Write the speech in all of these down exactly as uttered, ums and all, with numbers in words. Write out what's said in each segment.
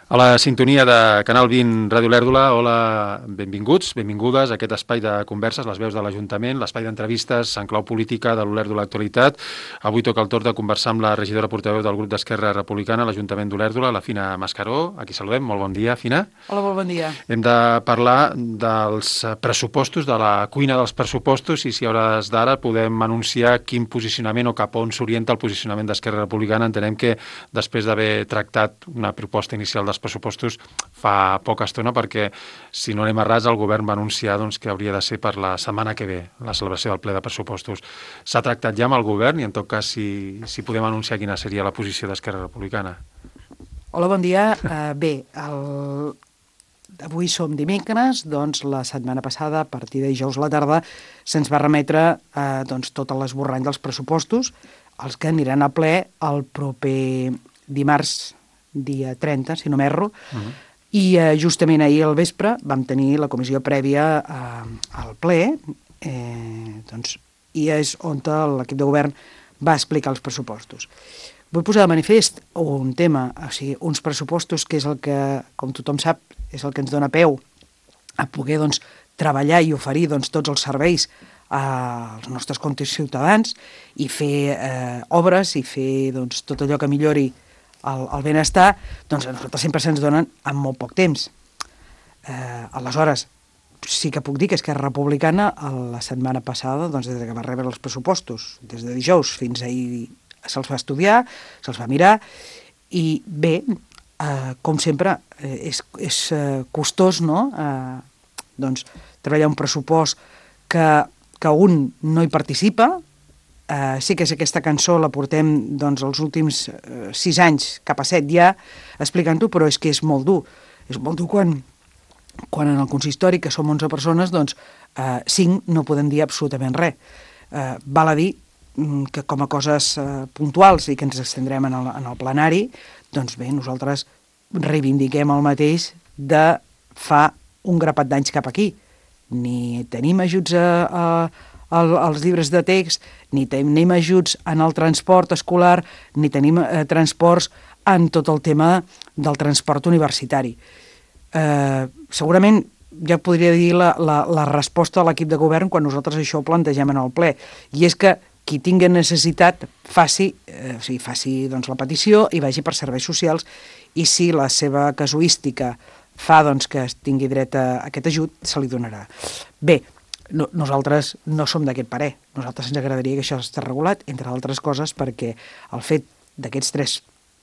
A la sintonia de Canal vint Ràdio Lèrdula, hola, benvinguts, benvingudes a aquest espai de converses, les veus de l'Ajuntament, l'espai d'entrevistes en clau política de l'Olèrdola Actualitat. Avui toca el torn de conversar amb la regidora portaveu del grup d'Esquerra Republicana a l'Ajuntament d'Olèrdola, la Fina Mascaró. Aquí saludem, molt bon dia, Fina. Hola, molt bon dia. Hem de parlar dels pressupostos, de la cuina dels pressupostos, i si a hores d'ara podem anunciar quin posicionament o cap on s'orienta el posicionament d'Esquerra Republicana. Entenem que després d'haver tractat una proposta inicial dels pressupostos fa poca estona, perquè, si no anem errats, el govern va anunciar doncs, que hauria de ser per la setmana que ve, la celebració del ple de pressupostos. S'ha tractat ja amb el govern i, en tot cas, si, si podem anunciar quina seria la posició d'Esquerra Republicana. Hola, bon dia. Uh, bé, el... avui som dimecres, doncs la setmana passada, a partir de dijous a la tarda, se'ns va remetre uh, doncs, tot l'esborrany dels pressupostos, els que aniran a ple el proper dimarts, dia trenta, si no m'erro, uh-huh. i eh, justament ahir al vespre vam tenir la comissió prèvia eh, al ple, eh, doncs, i és on l'equip de govern va explicar els pressupostos. Vull posar de manifest un tema, o sigui, uns pressupostos que és el que, com tothom sap, és el que ens dona peu a poder doncs, treballar i oferir doncs, tots els serveis als nostres ciutadans i fer eh, obres i fer doncs, tot allò que millori El, el benestar, doncs a nosaltres sempre se'ns donen en molt poc temps. Eh, aleshores, sí que puc dir que Esquerra Republicana la setmana passada, doncs des que va rebre els pressupostos, des de dijous fins ahir se'ls va estudiar, se'ls va mirar, i bé, eh, com sempre, eh, és, és eh, costós, no?, eh, doncs, treballar un pressupost que, que un no hi participa. Uh, sí que és aquesta cançó, la portem doncs, els últims uh, sis anys, cap a set ja, explicant-ho, però és que és molt dur. És molt dur quan, quan en el consistori, que som onze persones, doncs uh, cinc no podem dir absolutament res. Uh, val a dir um, que com a coses uh, puntuals i que ens estendrem en el, en el plenari, doncs bé, nosaltres reivindiquem el mateix de fa un grapat d'anys cap aquí. Ni tenim ajuts a... a El, els llibres de text, ni tenim ajuts en el transport escolar, ni tenim eh, transports en tot el tema del transport universitari. Eh, segurament ja podria dir la, la, la resposta de l'equip de govern quan nosaltres això ho plantegem en el ple, i és que qui tingui necessitat faci, eh, o sigui, faci doncs, la petició i vagi per serveis socials, i si la seva casuística fa doncs, que tingui dret a aquest ajut, se li donarà. Bé, No, nosaltres no som d'aquest parer. Nosaltres ens agradaria que això estés regulat, entre altres coses, perquè el fet d'aquests tres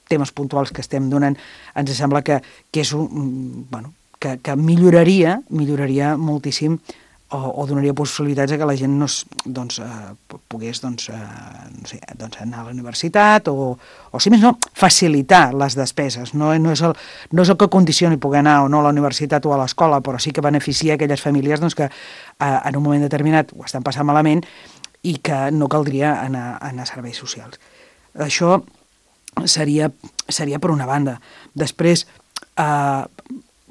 temes puntuals que estem donant ens sembla que, que és un, bueno, que, que milloraria, milloraria moltíssim o, o donaria possibilitats a que la gent no, doncs, eh, pogués doncs, eh, no sé, doncs anar a la universitat o, o, si més no, facilitar les despeses. No, no, és el, no és el que condicioni poder anar o no a la universitat o a l'escola, però sí que beneficia aquelles famílies doncs, que eh, en un moment determinat ho estan passant malament i que no caldria anar, anar a serveis socials. Això seria, seria per una banda. Després, eh,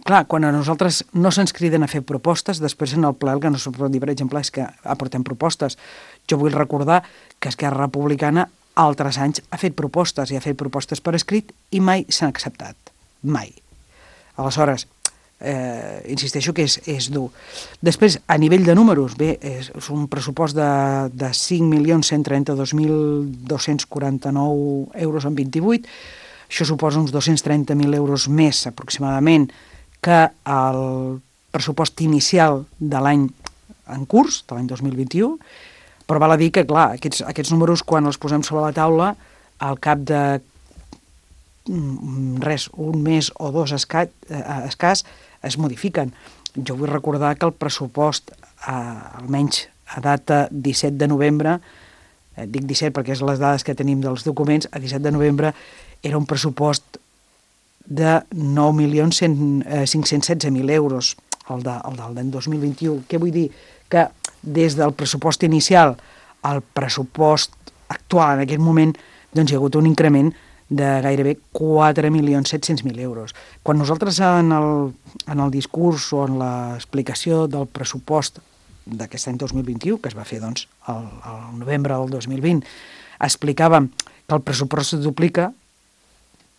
clar, quan a nosaltres no se'ns criden a fer propostes, després en el ple el que no se'ns pot dir, per exemple, és que aportem propostes. Jo vull recordar que Esquerra Republicana altres anys ha fet propostes i ha fet propostes per escrit i mai s'han acceptat. Mai. Aleshores, eh, insisteixo que és, és dur. Després, a nivell de números, bé, és, és un pressupost de, de cinc milions cent trenta-dos mil dos-cents quaranta-nou euros en vint-i-vuit. Això suposa uns dos-cents trenta mil euros més, aproximadament, que el pressupost inicial de l'any en curs, de l'any dos mil vint-i-u, però val a dir que, clar, aquests, aquests números, quan els posem sobre la taula, al cap de res, un mes o dos escàs, escàs es modifiquen. Jo vull recordar que el pressupost, eh, almenys a data disset de novembre, eh, dic disset perquè és les dades que tenim dels documents, a disset de novembre era un pressupost de nou milions cinc-cents setze mil euros, el, de, el del d'any dos mil vint-i-u. Què vull dir? Que des del pressupost inicial al pressupost actual, en aquest moment, doncs hi ha hagut un increment de gairebé quatre milions set-cents mil euros. Quan nosaltres en el, en el discurs o en l'explicació del pressupost d'aquest any dos mil vint-i-u, que es va fer doncs, el, el novembre del dos mil vint, explicàvem que el pressupost es duplica,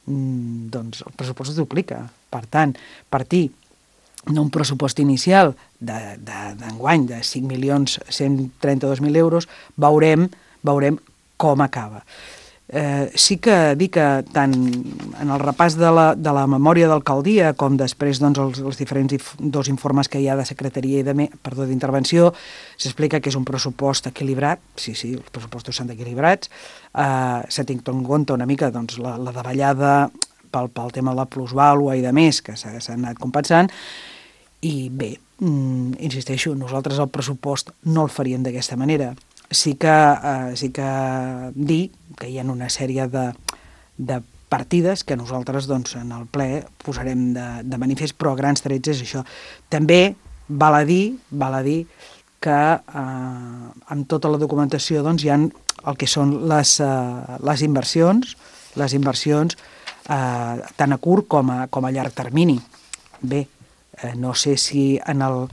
doncs el pressupost es duplica. Per tant, partir d'un pressupost inicial d'enguany de, de, de cinc milions cent trenta-dos mil euros, veurem, veurem com acaba. Eh, sí que dic que tant en el repàs de la, de la memòria d'alcaldia com després doncs, els, els diferents if, dos informes que hi ha de secretaria i de, perdó, d'intervenció, s'explica que és un pressupost equilibrat, sí, sí, els pressupostos s'han equilibrats, eh, s'ha tingut en compte una mica doncs, la, la davallada pel, pel tema de la plusvàlua i de més, que s'ha anat compensant, i bé, mm, insisteixo, nosaltres el pressupost no el faríem d'aquesta manera. Sí que, eh, sí que dir que hi ha una sèrie de, de partides que nosaltres doncs, en el ple posarem de, de manifest, però a grans trets és això. També val a dir, val a dir que eh, amb tota la documentació doncs, hi ha el que són les, eh, les inversions, les inversions eh, tant a curt com a, com a llarg termini. Bé, eh, no sé si en el,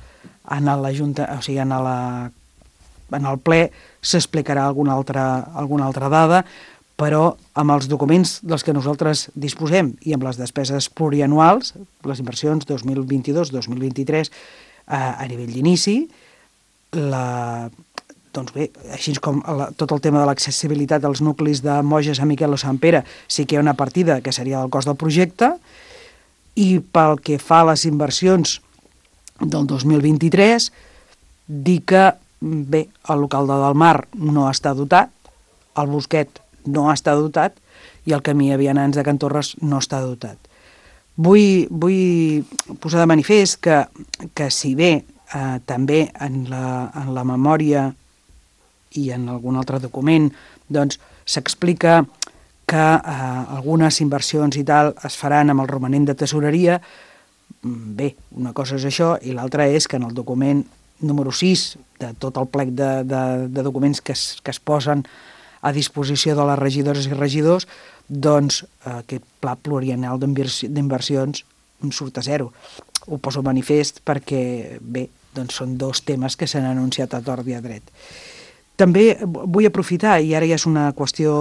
en la Junta, o sigui, en la en el ple s'explicarà alguna altra, alguna altra dada, però amb els documents dels que nosaltres disposem i amb les despeses plurianuals, les inversions dos mil vint-i-dos dos mil vint-i-tres eh, a nivell d'inici, la, doncs bé, així com la, tot el tema de l'accessibilitat als nuclis de Moja, Sant Miquel o Sant Pere, sí que hi ha una partida que seria el cost del projecte, i pel que fa a les inversions del dos mil vint-i-tres, dir que bé, el local de Delmar no està dotat, el Bosquet no està dotat i el camí a Vianants de Can Torres no està dotat. Vull, vull posar de manifest que, que si bé eh, també en la, en la memòria i en algun altre document doncs s'explica que eh, algunes inversions i tal es faran amb el romanent de tesoreria, bé, una cosa és això i l'altra és que en el document número sis de tot el plec de, de, de documents que es, que es posen a disposició de les regidores i regidors, doncs eh, aquest pla plurianual d'inversions surt a zero. Ho poso a manifest perquè, bé, doncs són dos temes que s'han anunciat a tort i a dret. També vull aprofitar, i ara ja és una qüestió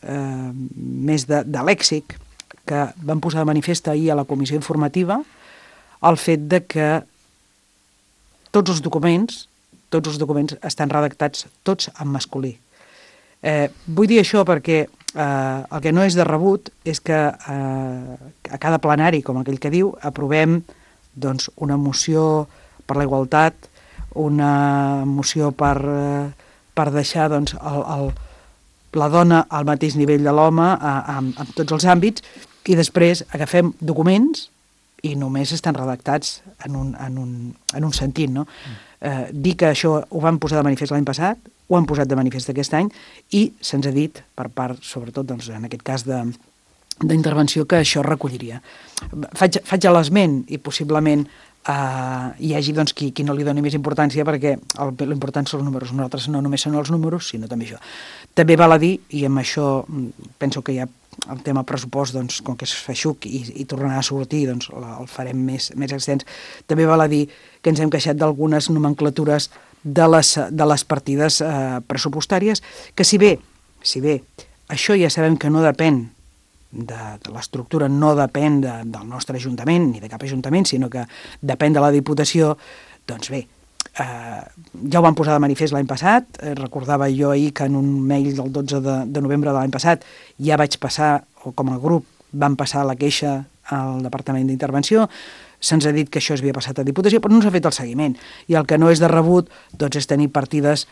eh, més de, de lèxic, que vam posar de manifest ahir a la comissió informativa, el fet de que tots els documents, tots els documents estan redactats tots en masculí. Eh, vull dir això perquè eh, el que no és de rebut és que eh, a cada plenari, com aquell que diu, aprovem doncs, una moció per la igualtat, una moció per, eh, per deixar doncs, el, el, la dona al mateix nivell de l'home en, en tots els àmbits, i després agafem documents i només estan redactats en un, en un, en un sentit, no? Mm. Eh, dir que això ho vam posar de manifest l'any passat, ho han posat de manifest aquest any, i se'ns ha dit, per part, sobretot, doncs, en aquest cas de d'intervenció, que això recolliria. Faig, faig l'esment, i possiblement eh, hi hagi doncs, qui, qui no li doni més importància, perquè l'important són els números. Nosaltres no només són els números, sinó també això. També val a dir, i amb això penso que hi ha el tema pressupost, doncs, com que és feixuc i, i tornarà a sortir, doncs la, el farem més, més extens. També val a dir que ens hem queixat d'algunes nomenclatures de les, de les partides eh, pressupostàries, que si bé, si bé això ja sabem que no depèn de, de l'estructura, no depèn de, del nostre ajuntament, ni de cap ajuntament, sinó que depèn de la Diputació, doncs bé, Uh, ja ho vam posar de manifest l'any passat, eh, recordava jo ahir que en un mail del dotze de, de novembre de l'any passat ja vaig passar, o com a grup vam passar la queixa al Departament d'Intervenció, se'ns ha dit que això es havia passat a Diputació, però no s'ha fet el seguiment, i el que no és de rebut doncs, és tenir partides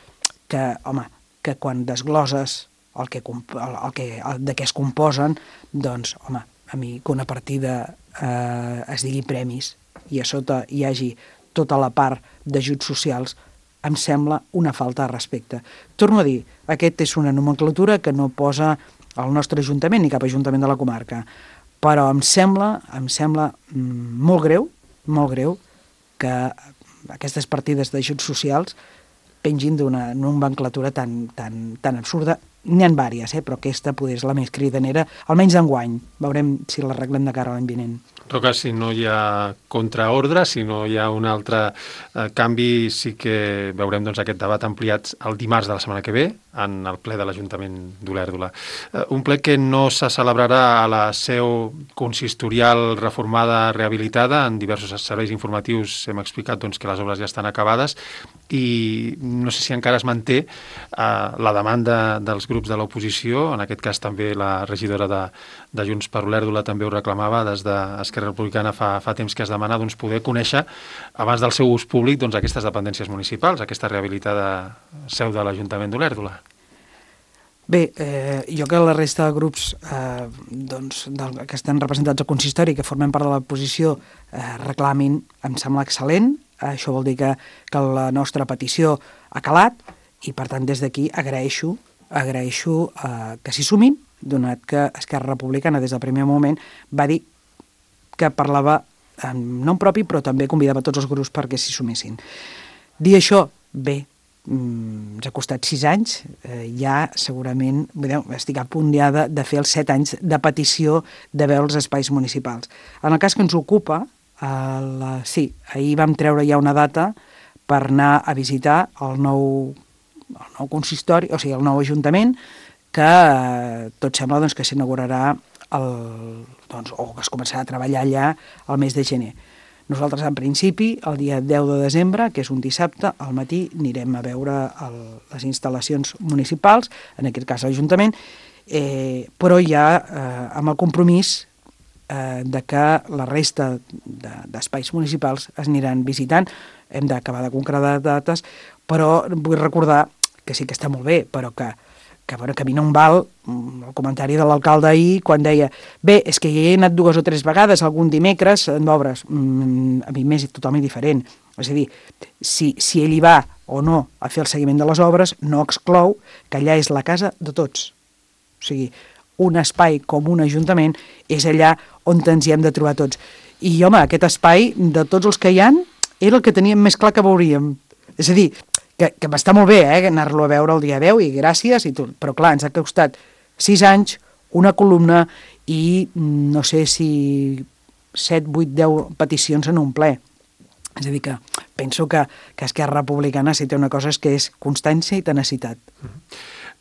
que, home, que quan desgloses el que, el, el que, el, de què es composen, doncs, home, a mi que una partida eh, es digui premis i a sota hi hagi tota la part d'ajuts socials, em sembla una falta de respecte. Torno a dir, aquest és una nomenclatura que no posa el nostre ajuntament ni cap ajuntament de la comarca, però em sembla, em sembla molt greu, molt greu que aquestes partides d'ajuts socials pengin d'una nomenclatura tan, tan, tan absurda. N'hi ha vàries, eh? Però aquesta poder és la més cridanera, almenys d'enguany. Veurem si l'arreglem de cara a l'any vinent. En tot cas, si no hi ha contraordre, si no hi ha un altre eh, canvi, sí que veurem doncs, aquest debat ampliat el dimarts de la setmana que ve, en el ple de l'Ajuntament d'Olèrdola. Un ple que no se celebrarà a la seu consistorial reformada, rehabilitada, en diversos serveis informatius hem explicat doncs, que les obres ja estan acabades i no sé si encara es manté eh, la demanda dels grups de l'oposició, en aquest cas també la regidora de, de Junts per Olèrdola també ho reclamava, des d'Esquerra Republicana fa, fa temps que es demana doncs, poder conèixer abans del seu ús públic doncs, aquestes dependències municipals, aquesta rehabilitada seu de l'Ajuntament d'Olèrdola. Bé, eh, jo que la resta de grups eh, doncs, del, que estan representats al consistori, que formen part de l'oposició, eh, reclamin, em sembla excel·lent. Això vol dir que, que la nostra petició ha calat i, per tant, des d'aquí agraeixo, agraeixo eh, que s'hi sumin, donat que Esquerra Republicana, des del primer moment, va dir que parlava en nom propi, però també convidava tots els grups perquè s'hi sumessin. Dir això, bé, ens ha costat sis anys, eh, ja segurament vedeu, estic a punt ja de, de fer els set anys de petició de veure els espais municipals. En el cas que ens ocupa, eh, la, sí, ahir vam treure ja una data per anar a visitar el nou, el nou consistori, o sigui, el nou ajuntament, que eh, tot sembla doncs, que s'inaugurarà el, doncs, o que es començarà a treballar allà el mes de gener. Nosaltres, en principi, el dia deu de desembre, que és un dissabte, al matí anirem a veure el, les instal·lacions municipals, en aquest cas l'Ajuntament, eh, però ja eh, amb el compromís eh, de que la resta d'espais de, municipals es aniran visitant. Hem d'acabar de concretar dates, però vull recordar que sí que està molt bé, però que que, bueno, que a mi no em val el comentari de l'alcalde ahir quan deia bé, és que hi he anat dues o tres vegades algun dimecres en obres. Mm, a mi m'és totalment diferent. És a dir, si, si ell hi va o no a fer el seguiment de les obres, no exclou que allà és la casa de tots. O sigui, un espai com un ajuntament és allà on ens hi hem de trobar tots. I, home, aquest espai, de tots els que hi han, era el que teníem més clar que veuríem. És a dir, que, que m'està molt bé eh, anar-lo a veure el dia deu i gràcies, i tot, però clar, ens ha costat sis anys, una columna i no sé si set, vuit, deu peticions en un ple. És a dir, que penso que, que Esquerra Republicana si té una cosa és que és constància i tenacitat.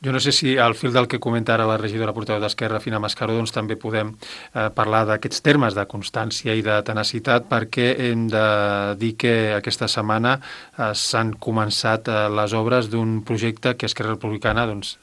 Jo no sé si al fil del que comenta ara la regidora portaveu d'Esquerra, Fina Mascaró, doncs també podem eh, parlar d'aquests termes de constància i de tenacitat, perquè hem de dir que aquesta setmana eh, s'han començat eh, les obres d'un projecte que Esquerra Republicana, doncs,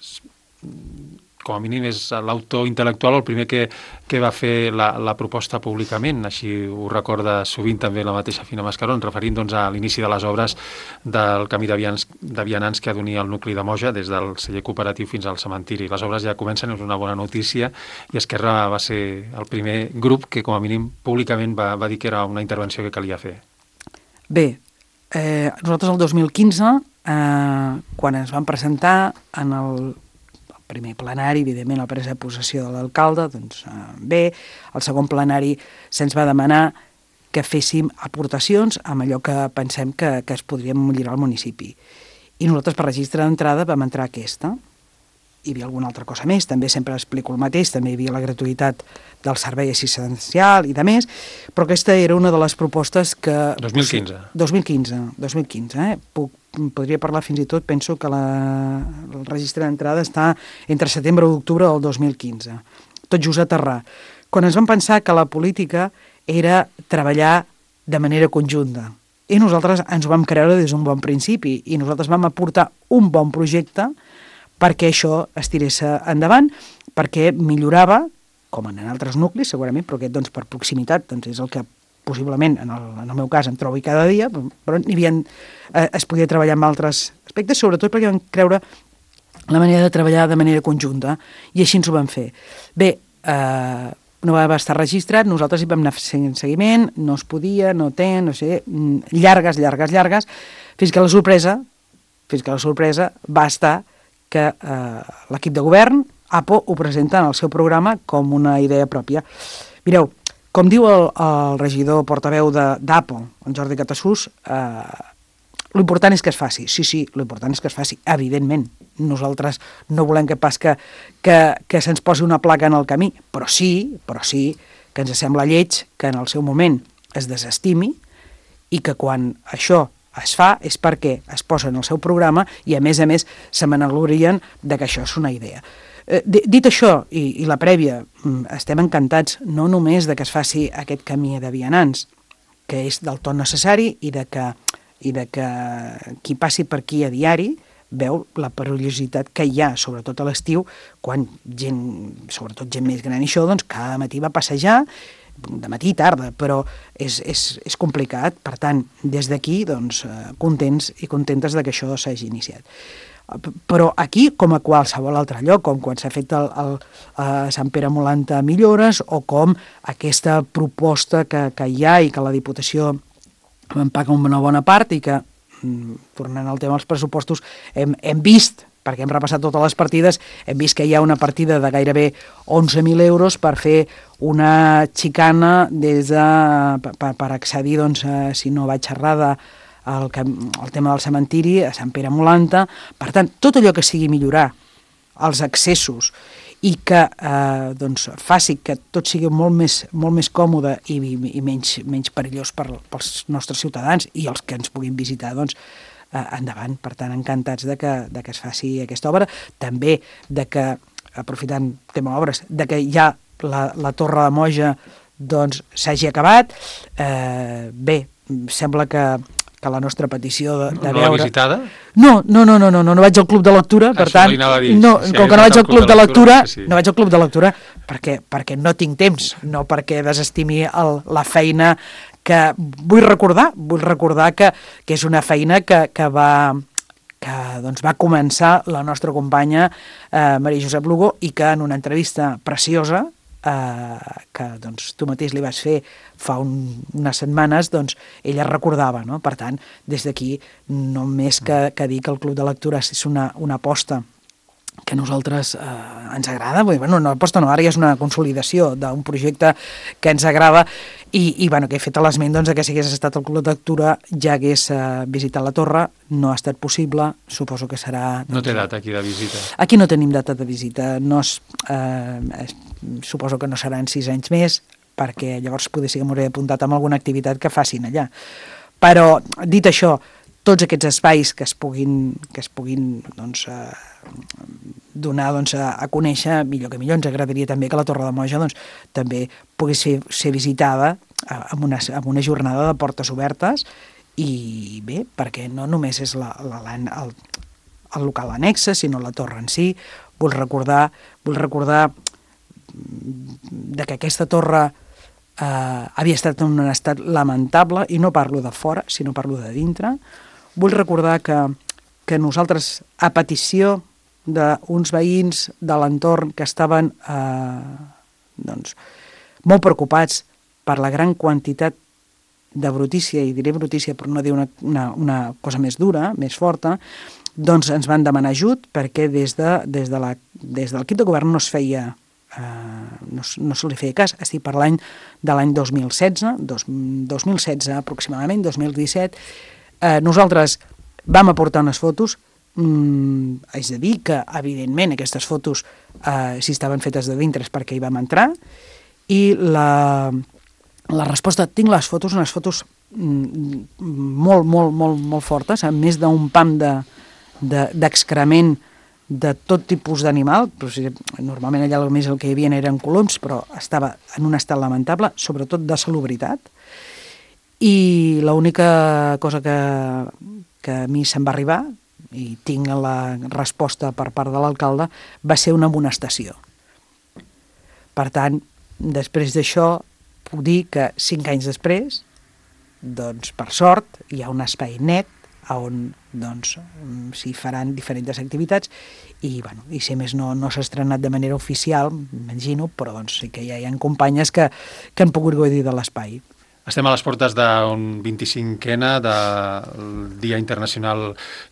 com a mínim és l'autor intel·lectual el primer que, que va fer la, la proposta públicament, així ho recorda sovint també la mateixa Fina Mascaró, referint doncs, a l'inici de les obres del camí de vianants, de vianants que ha d'unir el nucli de Moja des del celler cooperatiu fins al cementiri. Les obres ja comencen, és una bona notícia, i Esquerra va ser el primer grup que com a mínim públicament va, va dir que era una intervenció que calia fer. Bé, eh, nosaltres el dos mil quinze, eh, quan ens vam presentar en el primer plenari, evidentment, la presa de possessió de l'alcalde, doncs eh, bé, el segon plenari se'ns va demanar que féssim aportacions amb allò que pensem que, que es podria millorar al municipi. I nosaltres, per registre d'entrada, vam entrar aquesta. Hi havia alguna altra cosa més, també sempre explico el mateix, també hi havia la gratuïtat del servei assistencial i de més, però aquesta era una de les propostes que... dos mil quinze. dos mil quinze, dos mil quinze, eh? Puc, podria parlar fins i tot, penso que la, el registre d'entrada està entre setembre i octubre del dos mil quinze. Tot just a aterrar. Quan ens vam pensar que la política era treballar de manera conjunta. I nosaltres ens ho vam creure des d'un bon principi, i nosaltres vam aportar un bon projecte perquè això es tirés endavant, perquè millorava, com en altres nuclis segurament, però aquest doncs, per proximitat doncs, és el que possiblement, en el, en el meu cas, em trobo cada dia, però n'hi havia, eh, es podia treballar amb altres aspectes, sobretot perquè vam creure la manera de treballar de manera conjunta, i així ens ho vam fer. Bé, eh, no va estar registrat, nosaltres hi vam anar fent seguiment, no es podia, no té, no sé, llargues, llargues, llargues, fins que la sorpresa, fins que la sorpresa va estar que eh, l'equip de govern, A P O, ho presenta en el seu programa com una idea pròpia. Mireu, com diu el, el regidor portaveu d'A P O, en Jordi Catassús, eh, l'important és que es faci. Sí, sí, l'important és que es faci, evidentment. Nosaltres no volem que pas que, que, que se'ns posi una placa en el camí, però sí, però sí que ens sembla lleig que en el seu moment es desestimi i que quan això es fa és perquè es posa en el seu programa i, a més a més, se m'enaglorien de que això és una idea. Eh, dit això, i, i la prèvia, estem encantats no només de que es faci aquest camí de vianants, que és del tot necessari i de que, i de que qui passi per aquí a diari veu la perillositat que hi ha, sobretot a l'estiu, quan gent, sobretot gent més gran i això, doncs cada matí va passejar, de matí i tarda, però és, és, és complicat. Per tant, des d'aquí, doncs, contents i contentes de que això s'hagi iniciat. Però aquí, com a qualsevol altre lloc, com quan s'ha fet el, el, a Sant Pere Molanta Millores, o com aquesta proposta que, que hi ha i que la Diputació en paga una bona part i que, tornant al tema dels pressupostos, hem, hem vist, perquè hem repassat totes les partides, hem vist que hi ha una partida de gairebé onze mil euros per fer una xicana des de, per, per accedir, doncs, a, si no vaig errada, al, al tema del cementiri, a Sant Pere Molanta. Per tant, tot allò que sigui millorar els accessos i que eh, doncs, faci que tot sigui molt més, molt més còmode i, i menys, menys perillós per, pels nostres ciutadans i els que ens puguin visitar, doncs, eh, endavant. Per tant, encantats de que, de que es faci aquesta obra. També de que, aprofitant tema obres, de que ja la, la Torre de Moja doncs, s'hagi acabat. Eh, bé, sembla que que la nostra petició de, de no veure... No l'ha visitada? No, no, no, no, no, no, no vaig al club de lectura, per Això tant... dir, no, si com que no vaig al club de lectura, sí. no vaig al club de lectura perquè, perquè no tinc temps, no perquè desestimi el, la feina que vull recordar, vull recordar que, que és una feina que, que va... que doncs, va començar la nostra companya eh, Maria Josep Lugo i que en una entrevista preciosa eh, que doncs, tu mateix li vas fer fa un, unes setmanes, doncs ella recordava, no? Per tant, des d'aquí, només que, que dir que el Club de Lectura és una, una aposta que a nosaltres eh, ens agrada, bueno, una aposta no, ara ja és una consolidació d'un projecte que ens agrada i, i bueno, que he fet l'esment doncs, que si hagués estat el Club de Lectura ja hagués eh, visitat la torre, no ha estat possible, suposo que serà... Doncs, no té data aquí de visita. Aquí no tenim data de visita, no es, eh, es, suposo que no seran sis anys més, perquè llavors potser sí que m'hauré apuntat amb alguna activitat que facin allà. Però, dit això, tots aquests espais que es puguin, que es puguin doncs, eh, donar doncs, a, a conèixer, millor que millor, ens agradaria també que la Torre de Moja doncs, també pogués ser, ser visitada amb una, amb una jornada de portes obertes i bé, perquè no només és la, la, la, el, el local annexe, sinó la torre en si. Vull recordar, vull recordar de que aquesta torre eh, havia estat en un estat lamentable, i no parlo de fora, sinó parlo de dintre. Vull recordar que, que nosaltres, a petició d'uns veïns de l'entorn que estaven eh, doncs, molt preocupats per la gran quantitat de brutícia, i diré brutícia per no dir una, una, una cosa més dura, més forta, doncs ens van demanar ajut perquè des, de, des, de la, des de l'equip de govern no es feia, eh, no, no se li feia cas. Estic parlant de l'any dos mil setze, dos, dos mil setze aproximadament, dos mil disset. Eh, nosaltres vam aportar unes fotos, mm, és a dir que evidentment aquestes fotos eh, si estaven fetes de dintre és perquè hi vam entrar, i la... La resposta, tinc les fotos, unes fotos molt, molt, molt, molt fortes, amb més d'un pam d'excrement de, de tot tipus d'animal. Normalment allà més el que hi havia eren coloms, però estava en un estat lamentable, sobretot de salubritat. I l'única cosa que, que a mi se'm va arribar, i tinc la resposta per part de l'alcalde, va ser una amonestació. Per tant, després d'això, puc dir que cinc anys després, doncs, per sort, hi ha un espai net on doncs, s'hi faran diferents activitats i, bueno, i si més no, no s'ha estrenat de manera oficial, m'imagino, però doncs, sí que ja hi ha companyes que, que han pogut gaudir de l'espai. Estem a les portes d'un vint-i-cinquena del Dia Internacional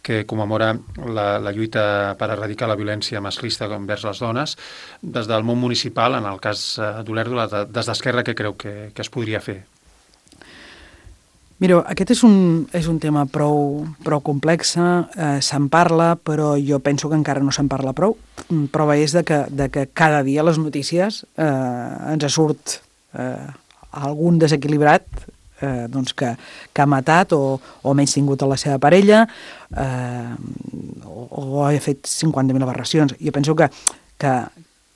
que commemora la, la lluita per erradicar la violència masclista envers les dones. Des del món municipal, en el cas d'Olèrdola, des d'Esquerra, què creu que, que es podria fer? Mireu, aquest és un, és un tema prou, prou complex, eh, se'n parla, però jo penso que encara no se'n parla prou. Prova és de que, de que cada dia les notícies eh, ens surt... Eh, algun desequilibrat eh, doncs que, que ha matat o, o menys tingut a la seva parella eh, o, o ha fet cinquanta mil aberracions. Jo penso que, que,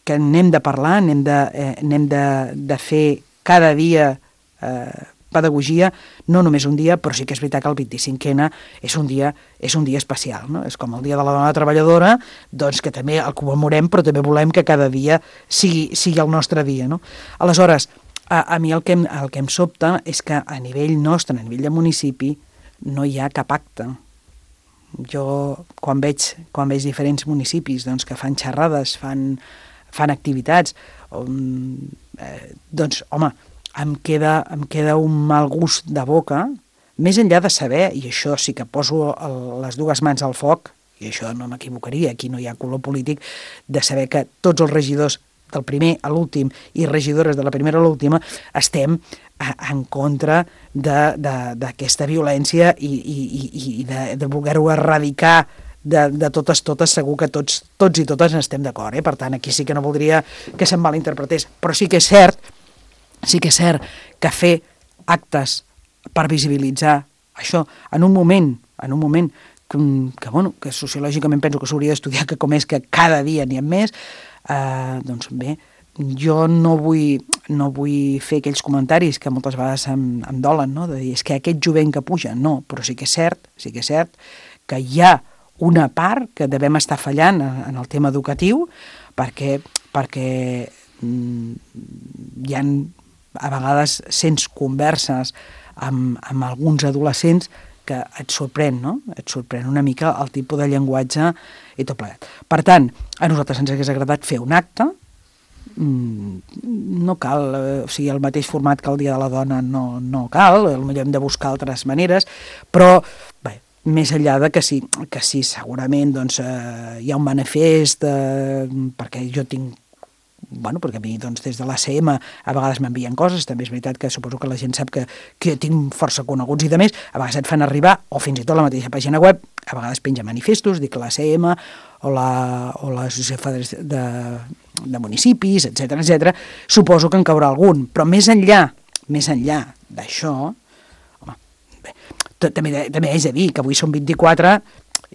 que n'hem de parlar, n'hem de, eh, n'hem de, de fer cada dia eh, pedagogia, no només un dia, però sí que és veritat que el vint-i-cinquena és un dia, és un dia especial, no? És com el dia de la dona treballadora, doncs que també el commemorem, però també volem que cada dia sigui, sigui el nostre dia, no? Aleshores, a, a mi el que, em, el que em sobta és que a nivell nostre, a nivell de municipi, no hi ha cap acte. Jo, quan veig, quan veig diferents municipis doncs, que fan xerrades, fan, fan activitats, um, eh, doncs, home, em queda, em queda un mal gust de boca, més enllà de saber, i això sí que poso el, les dues mans al foc, i això no m'equivocaria, aquí no hi ha color polític, de saber que tots els regidors del primer a l'últim i regidores de la primera a l'última estem a, en contra d'aquesta violència i, i, i de, de voler-ho erradicar de, de totes, totes, segur que tots, tots i totes estem d'acord, eh? Per tant, aquí sí que no voldria que se'm malinterpretés, però sí que és cert Sí que és cert que fer actes per visibilitzar això en un moment, en un moment que, que, bueno, que sociològicament penso que s'hauria d'estudiar, que com és que cada dia n'hi ha més, eh, doncs bé, jo no vull, no vull fer aquells comentaris que moltes vegades em, em dolen, no? De dir, és que aquest jovent que puja, no, però sí que és cert, sí que és cert que hi ha una part que devem estar fallant en, en el tema educatiu perquè, perquè mm, hi ha a vegades sents converses amb, amb alguns adolescents que et sorprèn, no? Et sorprèn una mica el tipus de llenguatge i tot plegat. Per tant, a nosaltres ens hagués agradat fer un acte, no cal, o sigui, el mateix format que el Dia de la Dona no, no cal, potser hem de buscar altres maneres, però, bé, més enllà de que sí, que sí segurament doncs, eh, hi ha un manifest, eh, perquè jo tinc bueno, perquè a mi doncs, des de l'A C M a vegades m'envien coses, també és veritat que suposo que la gent sap que, que tinc força coneguts i de més, a vegades et fan arribar, o fins i tot la mateixa pàgina web, a vegades penja manifestos, dic l'A C M o l'Associació de, de Municipis, etcètera, etcètera. Suposo que en caurà algun, però més enllà, més enllà d'això, home, bé, també, també és a dir que avui són vint-i-quatre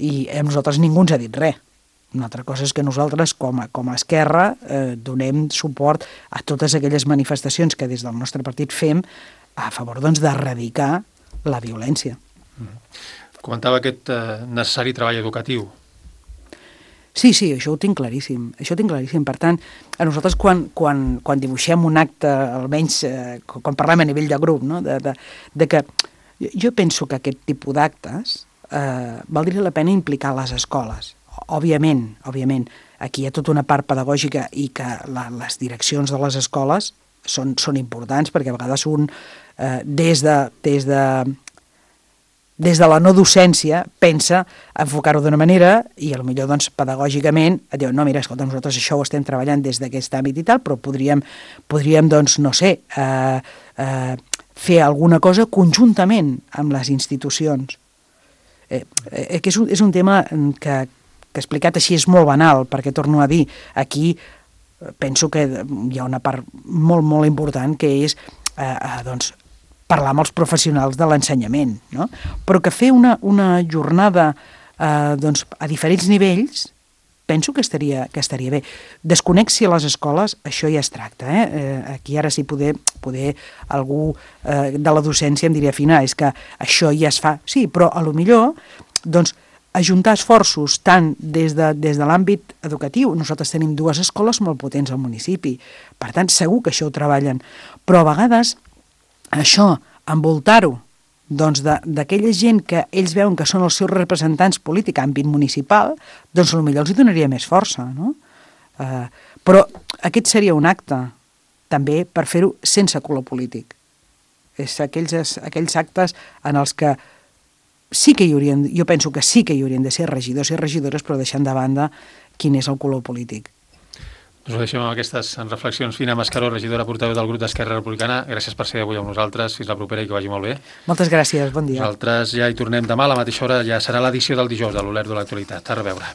i a nosaltres ningú ens ha dit res. Una altra cosa és que nosaltres, com a, com a Esquerra, eh, donem suport a totes aquelles manifestacions que des del nostre partit fem a favor doncs, d'erradicar la violència. Mm. Comentava aquest eh, necessari treball educatiu. Sí, sí, això ho tinc claríssim. Això ho tinc claríssim. Per tant, a nosaltres quan, quan, quan dibuixem un acte, almenys eh, quan parlem a nivell de grup, no? de, de, de que jo penso que aquest tipus d'actes eh, valdria la pena implicar les escoles. Òbviament, òbviament, aquí hi ha tota una part pedagògica i que la, les direccions de les escoles són, són importants perquè a vegades un, eh, des de, des de, des de la no docència, pensa enfocar-ho d'una manera i potser doncs, pedagògicament et diu, no, mira, escolta, nosaltres això ho estem treballant des d'aquest àmbit i tal, però podríem, podríem doncs, no sé, eh, eh, fer alguna cosa conjuntament amb les institucions. Eh, eh, que és un, és un tema que que explicat així és molt banal, perquè torno a dir, aquí penso que hi ha una part molt, molt important que és eh, eh, doncs, parlar amb els professionals de l'ensenyament, no? Però que fer una, una jornada eh, doncs, a diferents nivells penso que estaria, que estaria bé. Desconec si a les escoles això ja es tracta. Eh? Eh, aquí ara sí poder, poder algú eh, de la docència em diria, Fina, és que això ja es fa. Sí, però a lo millor doncs, ajuntar esforços tant des de, des de l'àmbit educatiu. Nosaltres tenim dues escoles molt potents al municipi, per tant segur que això ho treballen, però a vegades això, envoltar-ho doncs d'aquella gent que ells veuen que són els seus representants polítics a àmbit municipal, doncs potser els hi donaria més força, no? Eh, però aquest seria un acte també per fer-ho sense color polític. És aquells, aquells actes en els que sí que hi haurien, jo penso que sí que hi haurien de ser regidors i regidores, però deixant de banda quin és el color polític. Us ho deixem amb aquestes reflexions. Fina Mascaró, regidora portaveu del grup d'Esquerra Republicana. Gràcies per ser avui amb nosaltres. Fins la propera i que vagi molt bé. Moltes gràcies, bon dia. Nosaltres ja hi tornem demà a la mateixa hora. Ja serà l'edició del dijous de l'Olerdo de l'Actualitat. A reveure.